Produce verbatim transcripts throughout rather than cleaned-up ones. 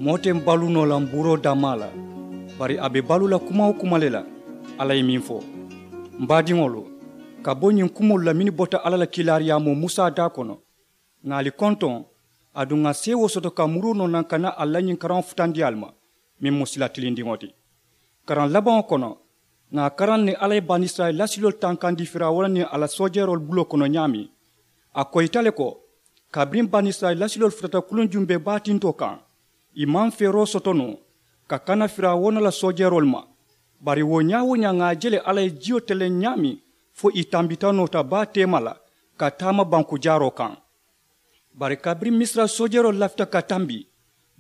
Moo te baluu noo la mbuuroo dammaa la, bari a be baluu la kuma-wo-kuma le la. Alla ye meŋ fo, m baadiŋolu, ka bo ñiŋ kumoolu la mennu bota alla la kiilaariyaamoo musa daa kono, ŋà ali kontoŋ, aduŋ ŋà seewoo soto ka muruu noo naŋ ka naa ali la ñiŋ karaŋo futandi ali ma, meŋ mu sila tilindiŋo ti. Karaŋ labaŋo kono, ŋà a karaŋ niŋ alla ye banisirayila lasiloolu tankandi firawuna niŋ a la soojeeroolu buloo kono ñaameŋ. A koyita le ko, kabiriŋ banisirayila lasiloolu futata kuluŋ jumbee baa tintoo kaŋ, ì maŋ feeroo soto noo ka kana firawuna la soojeeroolu ma. Bari wo ñaa-wo-ñaa ŋà a je le alla ye jiyo teleŋ ñaameŋ, fo ì tambita noota baa teema la ka taama banku jaaroo kaŋ. Bari kabiriŋ misira soojeeroolu lafita ka tambi,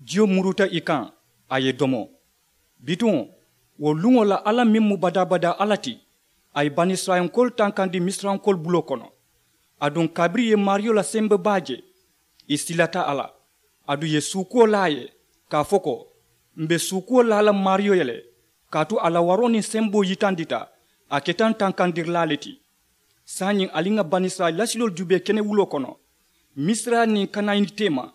jiyo muruta ì kaŋ, a ye domo. Bituŋ, wo luŋo la alla meŋ mu badaa-badaa alla ti, a ye banisirayilankoolu tankandi misirankoolu buloo kono. Aduŋ kabiriŋ ì ye maariyo la sembe baa je, ì silata a la. Aduŋ ì ye suukuwo laa a ye, ka a fo ko, m be suukuwo laa la maariyo ye le, kaatu a la waroo niŋ semboo yitandita, a keta n tankandirilaa le ti. Saayiŋ ali ŋà banisirayila lasiloolu juubee kenewuloo kono, misira niŋ kanayini teema.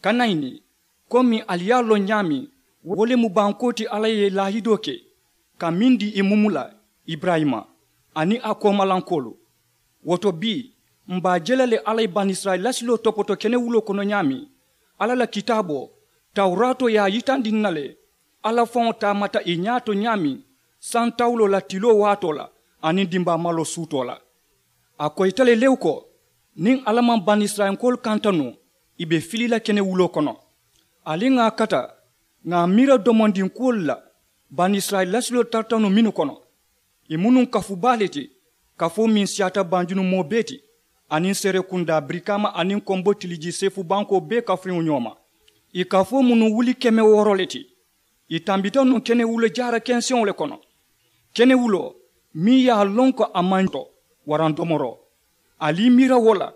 Kanayini, komi ali ye a loŋ ñaameŋ, wo le mu bankoo ti alla ye laahidoo ke ka meŋ dii ì mumu la, iburayima aniŋ a koomalankoolu. Wo to bii, m be a je la le alla ye banisirayila lasiloo topoto kenewuloo kono ñaameŋ. Alla la kitaaboo, tawuraatoo ye a yitandi n na le, alla faŋo taamata ì ñaa to ñaameŋ, santawuloo la tiloo waatoo la aniŋ dimbaamaloo suutoo la. A koyita le lewu ko, niŋ alla maŋ banisirayilankoolu kanta noo, ì be fili la kenewuloo kono. Ali ŋà a kata, ŋà a miira domondinkuwolu la, banisirayila lasiloolu tarata noo mennu kono, ì mu nuŋ kafu baa le ti, kafoo meŋ siyaata banjunu moo bee ti, aniŋ serekundaa birikaama aniŋ konbo tilijii seefu bankoo bee kafuŋo ñoo ma. Ì kafoo mu nuŋ wuli keme wooro le ti. Ì tambita nuŋ kenewulo jaara kenseŋo le kono, kenewuloo meŋ ye a loŋ ko a maŋ to waraŋ domoroo. Ali i miira wo la,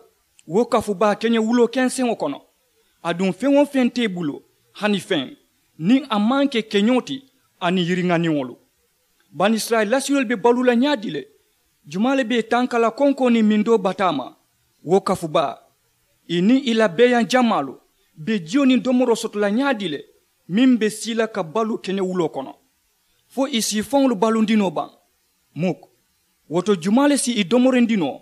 wo kafu baa keñewuloo kenseŋo kono. Aduŋ feŋ-wo-feŋ te i bulu, hani feŋ, niŋ a maŋ ke keñoo ti aniŋ yiriŋaniŋolu. Banisirayila lasiloolu be baluu la ñaadii le? Jumaa le be ì tanka la konkoo niŋ mindoo bataa ma? Wo kafu baa, ì niŋ ì la beeyaŋ jamaalu be jiyo niŋ domoroo soto la ñaadii le, meŋ be sii la ka baluu keñewuloo kono, fo ì si ì faŋolu balundi noo baŋ? Muk. Wo to jumaa le si ì domorindi noo?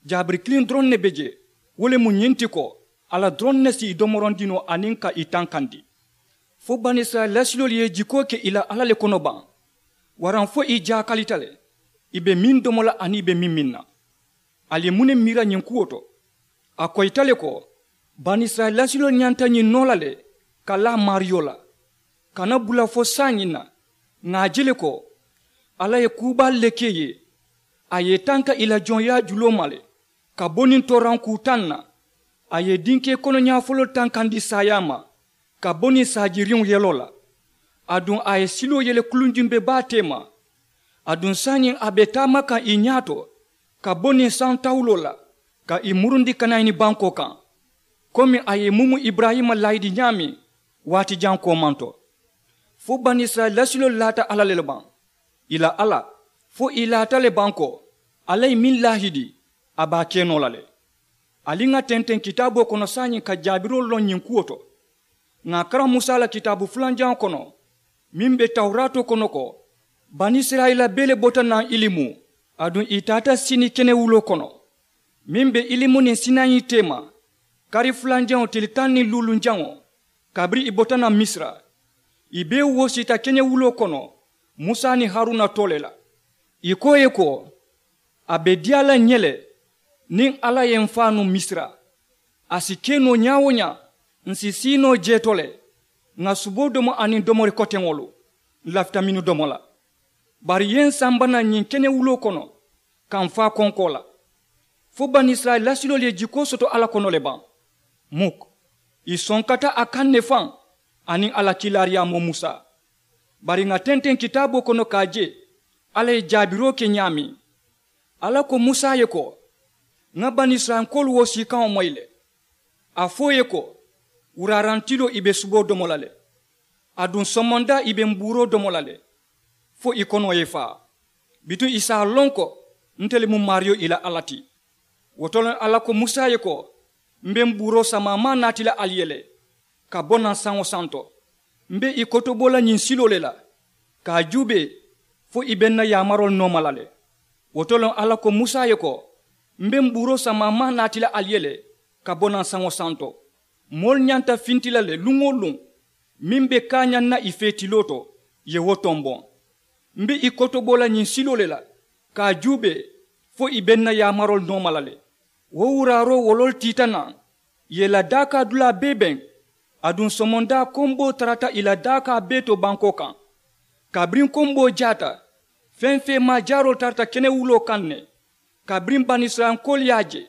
Jaabiri kiliŋ doroŋ ne be jee, wo le mu ñiŋ ti ko, alla doroŋ ne si ì domorindi noo aniŋ ka ì tankandi. Fo banisirayila lasiloolu ye jikoo ke ì la alla le kono baŋ? Waraŋ fo ì jaakalita le, ì be meŋ domo la aniŋ ì be meŋ miŋ na? Ali ye muŋ ne miira ñiŋ kuwo to? A koyita le ko, banisirayila lasiloolu ñanta ñiŋ noo la le ka laa maariyo la. Kana bula fo saayiŋ na, ŋà a je le ko, alla ye kuu baalu le ke ì ye. A ye ì tanka ì la joŋyaa juloo ma le, ka bo niŋ tooraŋ kuu taŋ na. A ye ì dinkee konoñaa foloolu tankandi saayaa ma, ka bo niŋ saajiriŋo yeloo la. Aduŋ a ye siloo yele kuluŋ jumbe baa teema. Aduŋ saayiŋ a be taama kaŋ ì ñaa to, ka bo niŋ santawuloo la, ka ì murundi kanayini bankoo kaŋ, komi a ye ì mumu iburayima laayidi ñaameŋ waati jaŋ koomaŋ to. Fo banisirayila lasiloolu laata alla le baŋ, ì la alla, fo ì laata le baŋ ko, alla ye meŋ laahidi, a be a ke noo la le. Ali ŋà tenteŋ kitaaboo kono saayiŋ ka jaabiroo loŋ ñiŋ kuwo to. Ŋà a karaŋ musa la kitaabu fulanjaŋo kono, meŋ be tawuraatoo kono ko, banisirayila bee le bota naŋ ilimu, aduŋ ì taata sini kenewuloo kono, meŋ be ilimu niŋ sinayi teema, kari fulanjaŋo tili taŋ niŋ luulunjaŋo, kabiriŋ ì bota naŋ misira. Ì bee woosiita keñewuloo kono, musa niŋ haruna too le la. Ì ko ì ye ko, a be diyaa la ǹ ye le, niŋ alla ye m faa nuŋ misira. A si ke noo ñaa-wo-ñaa, ǹ si sii noo jee to le, ŋà suboo domo aniŋ domori koteŋolu, ǹ lafita mennu domo la. Bari ì ye ǹ samba naŋ ñiŋ kenewuloo kono, ka m faa konkoo la. Fo banisirayila lasiloolu ye jikoo soto alla kono le baŋ? Muk. Ì sonkata a kaŋ ne faŋ, aniŋ a la kiilaariyaamoo musa. Bari ŋà tenteŋ kitaaboo kono ka a je, alla ye jaabiroo ke ñaameŋ. Alla ko musa ye ko, ŋa banisirayilankoolu woosiikaŋo moyi le. A fo ì ye ko, wuraaraŋ tiloo ì be suboo domo la le, aduŋ somondaa ì be mbuuroo domo la le, fo ì konoo ye faa. Bituŋ ì si a loŋ ko, nte le mu maariyo ì la alla ti. Wo to le alla ko musa ye ko, m be mbuuroo samaa maŋ naati la ali ye le, ka bo naŋ saŋo santo. M be ì kotoboo la ñiŋ siloo le la ka a juubee fo ì be n na yaamaroolu nooma la le. Wo to loŋ alla ko musa ye ko, m be m buuroo samaa maŋ naati la ali ye le ka bo naŋ saŋo santo. Moolu ñanta finti la le luŋ-wo-luŋ meŋ be kaañaŋ na ì fee tiloo to, ì ye wo tomboŋ. M be ì kotoboo la ñiŋ siloo le la ka a juubee fo ì be n na yaamaroolu nooma la le. Wo wuraaroo woloolu tiita naŋ, ì ye ì la daakaa dulaa bee beŋ. Aduŋ somondaa komboo tarata ì la daakaa bee to bankoo kaŋ. Kabiriŋ komboo jaata, feŋ feemaa jaaroolu tarata kenewuloo kaŋ ne. Kabiriŋ banisirayilankoolu ye a je,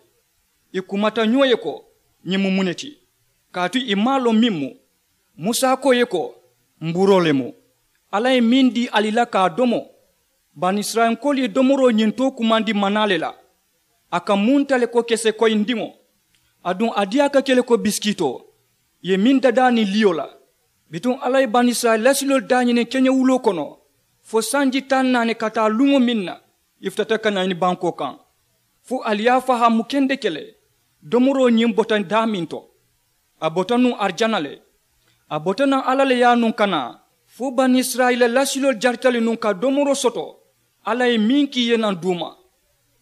ì kumata ñoo ye ko, ñiŋ mu muŋ ne ti? Kaatu ì maŋ a loŋ meŋ mu. Musa ko ì ye ko, m buroo le mu. Alla ye meŋ dii ali la ka a domo, banisirayilankoolu ye domoroo ñiŋ too kumandi manaa le la. A ka munta le ko kese koyindiŋo, aduŋ a diyaa ka ke le ko bisikitoo, ì ye meŋ dadaa niŋ liyo la. Bituŋ alla ye banisirayila lasiloolu daañiniŋ keñewuloo kono fo sanji taŋ naani ka taa luŋo meŋ na ì futata ka naa ñini bankoo kaŋ, fo ali ye a fahaamu kendeke le domoroo ñiŋ bota daameŋ to. A bota nuŋ arijana le. A bota naŋ alla le ye a nuŋ ka naa fo banisirayila lasiloolu jarita le nuŋ ka domoroo soto alla ye meŋ ke ì ye naŋ duuma.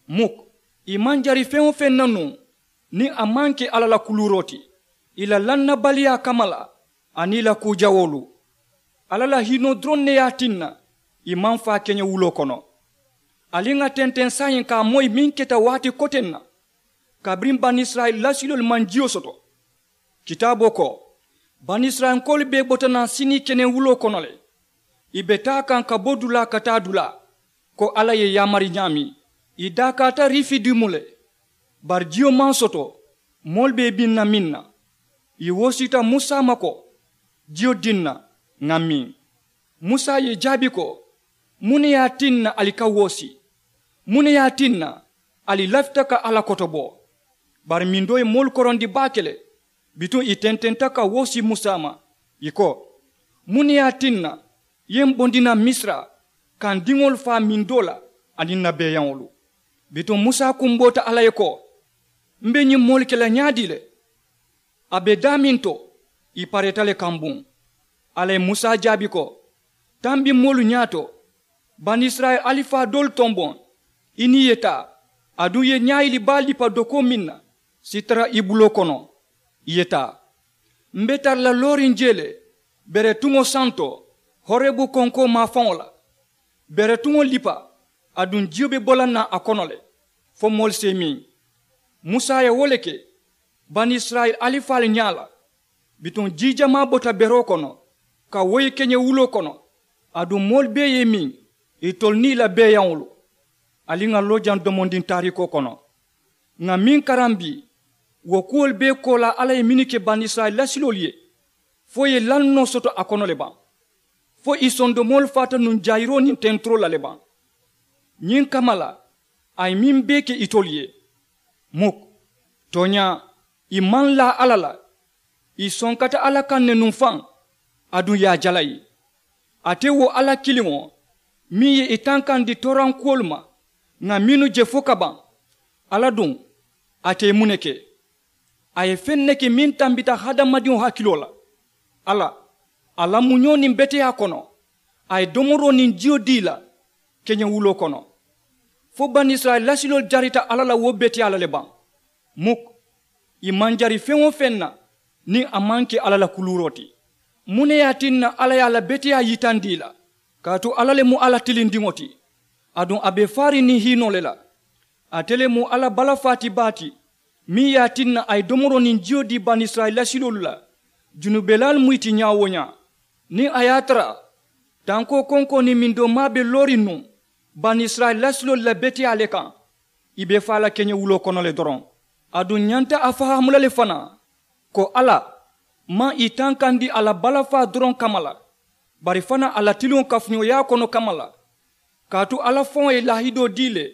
Muk, ì maŋ jari feŋ-wo-feŋ na nuŋ niŋ a maŋ ke alla la kuluuroo ti, ì la lannabaliyaa kamma la aniŋ ì la kuu jawoolu. Alla la hiinoo doroŋ ne ye a tinna ì maŋ faa keñewuloo kono. Ali ŋà tenteŋ saayiŋ ka a moyi meŋ keta waati koteŋ na kabiriŋ banisirayila lasiloolu maŋ jiyo soto. Kitaaboo ko, banisirayilankoolu bee bota naŋ sinii kenewuloo kono le. Ì be taa kaŋ ka bo dulaa ka taa dulaa, ko alla ye ì yaamari ñaameŋ. Ì daakaata rifidimu le. Bari jiyo maŋ soto moolu be ì biŋ na meŋ na. Ì woosita musa ma ko, jiyo diŋ na, ŋà miŋ. Musa ye ì jaabi ko, muŋ ne ye a tinna ali ka woosi? Muŋ ne ye a tinna ali lafita ka alla kotobo? Bari mindoo ye moolu korondi baake le. Bituŋ ì tententa ka woosi musa ma, ì ko, muŋ ne ye a tinna ì ye m bondi naŋ misira ka n diŋolu faa mindoo la aniŋ n na beeyaŋolu? Bituŋ musa kumboota alla ye ko, m be ñiŋ moolu ke la ñaadii le? A be daameŋ to, ì pareeta le kambuŋ. Alla ye musa jaabi ko, tambi moolu ñaato, banisirayila alifaa doolu tomboŋ, i niŋ ì ye taa, aduŋ ì ye ñaayili baa lipa dokoo meŋ na sitara i buloo kono, ì ye taa. M be tara la looriŋ jee le beretuŋo santo, horebu konkoo maafaŋo la. Beretuŋo lipa, aduŋ jiyo be bo la naŋ a kono le fo moolu si i miŋ. Musa ye wo le ke banisirayila alifaalu ñaa la. Bituŋ jii jamaa bota beroo kono ka woyi keñewuloo kono, aduŋ moolu bee ye i miŋ, itolu niŋ i la beeyaŋolu. Ali ŋà loo jaŋ domondiŋ taariikoo kono. Ŋà meŋ karambi, wo kuwolu bee koolaa alla ye mennu ke banisirayila lasiloolu ye, fo ì ye lannoo soto a kono le baŋ? Fo ì sondomoolu faata nuŋ jayiroo niŋ tenturoo la le baŋ? Ñiŋ kamma la a ye meŋ bee ke itolu ye. Muk, tooñaa, ì maŋ laa alla la. Ì sonkata alla kaŋ ne nuŋ faŋ, aduŋ ì ye a jalayi. Ate wo alla kiliŋo meŋ ye ì tankandi toorankuwolu ma, ŋà mennu je fo ka baŋ. Alla duŋ, ate ye muŋ ne ke? A ye feŋ ne ke meŋ tambita hadamadiŋo hakiloo la. Alla, a la muñoo niŋ beteyaa kono, a ye domoroo niŋ jiyo dii ì la keñewuloo kono. Fo banisirayila lasiloolu jarita alla la wo beteyaa la le baŋ? Muk, ì maŋ jari feŋ-wo-feŋ na niŋ a maŋ ke alla la kuluuroo ti. Muŋ ne ye a tinna alla ye a la beteyaa yitandi ì la? Kaatu alla le mu alla tilindiŋo ti, aduŋ a be faariŋ niŋ hiinoo le la. Ate le mu alla balafaa ti baa ti, meŋ ye a tinna a ye domoroo niŋ jiyo dii banisirayila lasiloolu la. Junubelaalu mu ì ti ñaa-wo-ñaa. Niŋ a ye a tara tankoo konkoo niŋ mindoo maa be looriŋ nuŋ banisirayila lasiloolu la beteyaa le kaŋ, ì be faa la keñewuloo kono le doroŋ. Aduŋ ǹ ñanta a fahaamu la le fanaa, ko alla maŋ ì tankandi a la balafaa doroŋ kamma la, bari fanaa a la tiliŋo kafuñooyaa kono kamma la. Kaatu alla faŋo ye laahidoo dii le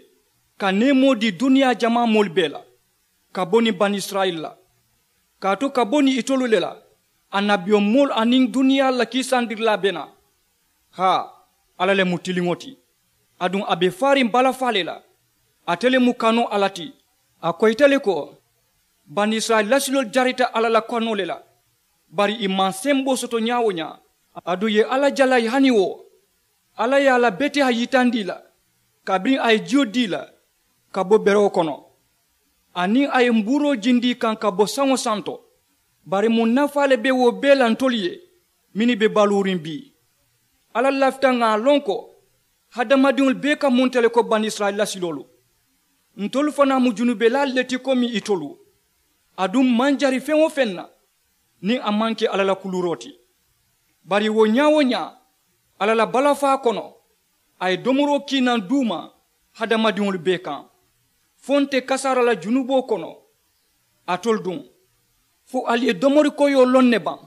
ka neemoo dii duniyaa jamaa moolu bee la, ka bo niŋ banisirayila la. Kaatu ka bo niŋ itolu le la, annabiyomoolu aniŋ duniyaa la kiisandirilaa be naa. Haa, alla le mu tiliŋo ti, aduŋ a be faariŋ balafaa le la. Ate le mu kanoo alla ti. A koyita le ko, banisirayila lasiloolu jarita alla la kanoo le la, bari ì maŋ semboo soto ñaa-wo-ñaa. Aduŋ ì ye alla jalayi hani wo alla ye a la beteyaa yitandi ì la kabiriŋ a ye jiyo dii la ka bo berewo kono, aniŋ a ye mbuuroo jindi ì kaŋ ka bo saŋo santo. Bari muŋ nafaa le be wo bee la ntolu ye mennu be baluuriŋ bii? Alla lafita ŋà a loŋ ko hadamadiŋolu bee ka munta le ko banisirayila lasiloolu. Ntolu fanaa mu junubelaalu le ti komi itolu. Aduŋ m maŋ jari feŋ-wo-feŋ na niŋ a maŋ ke alla la kuluuroo ti. Bari wo ñaa-wo-ñaa, alla la balafaa kono a ye domoroo kiinaŋ duu ma hadamadiŋolu bee kaŋ. Fo nte kasaara la junuboo kono alitolu duŋ, fo ali ye domori koyoo loŋ ne baŋ?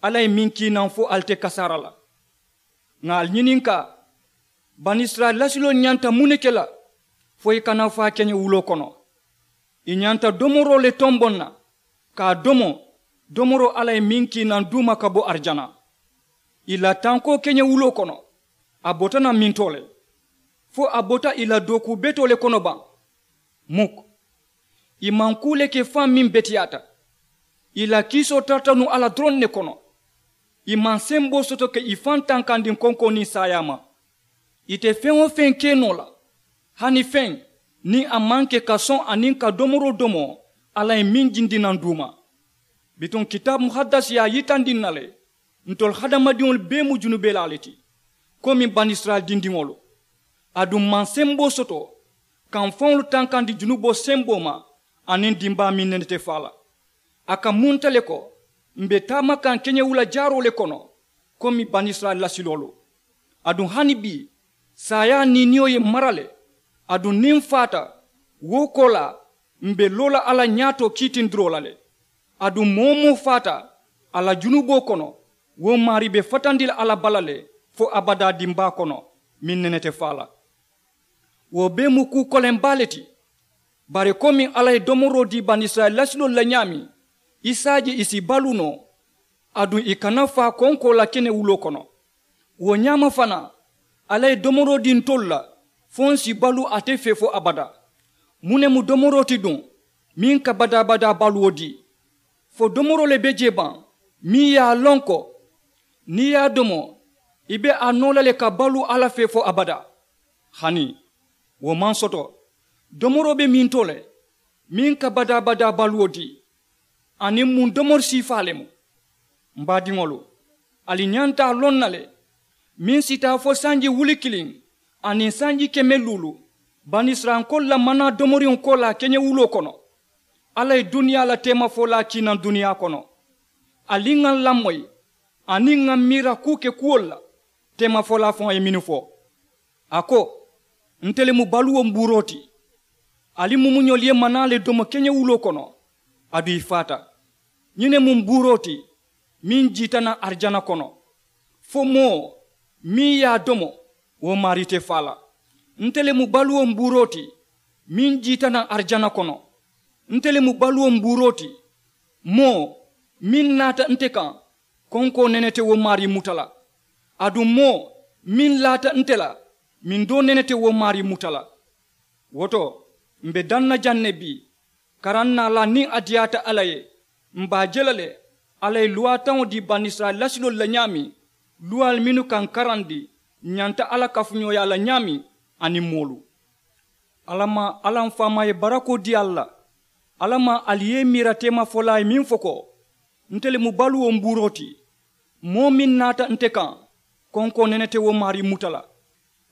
Alla ye meŋ kiinaŋ fo ali te kasaara la. Ŋà ali ñininkaa, banisirayila lasiloolu ñanta muŋ ne ke la fo ì kana faa keñewuloo kono? Ì ñanta domoroo le tomboŋ na ka a domo, domoroo alla ye meŋ kiinaŋ duu ma ka bo arijana. Ì la tankoo keñewuloo kono a bota naŋ mintoo le? Fo a bota ì la dookuu betoo le kono baŋ? Muk. Ì maŋ kuu le ke faŋ meŋ beteyaata. Ì la kiisoo tarata nuŋ alla doroŋ ne kono. Ì maŋ semboo soto ka ì faŋ tankandiŋ konkoo niŋ saayaa ma. Ì te feŋ-wo-feŋ ke noo la hani feŋ niŋ a maŋ ke ka soŋ aniŋ ka domoroo domo alla ye meŋ jindi naŋ duu ma. Bituŋ kitaabu muhadasi ye a yitandi n na le ntolu hadamadiŋolu bee mu junubelaa le ti komi banisirayila dindiŋolu. Aduŋ m maŋ semboo soto ka m faŋolu tankandi junuboo semboo ma aniŋ dimbaa meŋ nene te faa la. A ka munta le ko m be taama kaŋ keñewula jaaroo le kono komi banisirayila lasiloolu. Aduŋ hani bii saayaa niiniyo ye m mara le. Aduŋ niŋ m faata, wo koolaa m be loo la alla ñaatoo kiitindiroo la le. Aduŋ moo-wo-moo faata a la junuboo kono, wo maarii be fatandi la alla bala le fo abadaa dimbaa kono meŋ nene te faa la. Wo bee mu kuu koleŋ baa le ti. Bari komiŋ alla ye domoroo dii banisirayila lasiloolu la ñaameŋ, i si a je ì si baluu noo. Aduŋ ì kana faa konkoo la keñewuloo kono. Wo ñaama fanaa, alla ye domoroo dii ntolu la fo n si baluu ate fee fo abadaa. Muŋ ne mu domoroo ti duŋ meŋ ka badaa-badaa baluwo dii? Fo domoroo le be jee baŋ meŋ ye a loŋ ko niŋ i ye a domo, i be a noo la le ka baluu alla fee fo abadaa? Hani wo maŋ soto. Domoroo be mintoo le meŋ ka badaa-badaa baluwo dii. Aniŋ muŋ domori siifaa le mu? M baadiŋolu, ali ñanta a loŋ na le meŋ si taa fo sanji wuli kiliŋ aniŋ sanji keme luulu banisirayilankoolu la manaa domoriŋo koolaa keñewuloo kono. Alla ye duniyaa la teemafolaa kiinaŋ duniyaa kono. Ali ŋà n lamoyi aniŋ ŋà n miira kuu ke kuwolu la. Teemafolaa faŋo ye mennu fo, a ko, nte le mu baluwo mbuuroo ti. Ali mumuñolu ye manaa le domo keñewuloo kono, aduŋ ì faata. Ñiŋ ne mu mbuuroo ti meŋ jiita naŋ arijana kono. Fo moo meŋ ye a domo, wo maarii te faa la. Nte le mu baluwo mbuuroo ti meŋ jiita naŋ arijana kono. Nte le mu baluwo mbuuroo ti. Moo meŋ naata nte kaŋ, konkoo nene te wo maarii muta la. Aduŋ moo meŋ laata nte la, mindoo nene te wo maarii muta la. Wo to, m̀ be daŋ na jaŋ ne bii, karaŋ naa la niŋ a diyaata alla ye, m̀ be a je la le. Alla ye luwaataŋo dii banisirayila lasiloolu la ñaameŋ, luwaalu mennu ka ǹ karandi ǹ ñanta alla kafuñooyaa la ñaameŋ aniŋ moolu. Alla maŋ alla m faamaa ye barakoo dii ali la. Alla maŋ ali ye i miira teemafolaa ye meŋ fo ko, nte le mu baluwo mbuuroo ti. Moo meŋ naata nte kaŋ, konkoo nene te wo maarii muta la.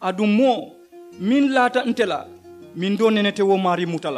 Aduŋ moo meŋ laata nte la, mindoo nene te wo maarii muta la.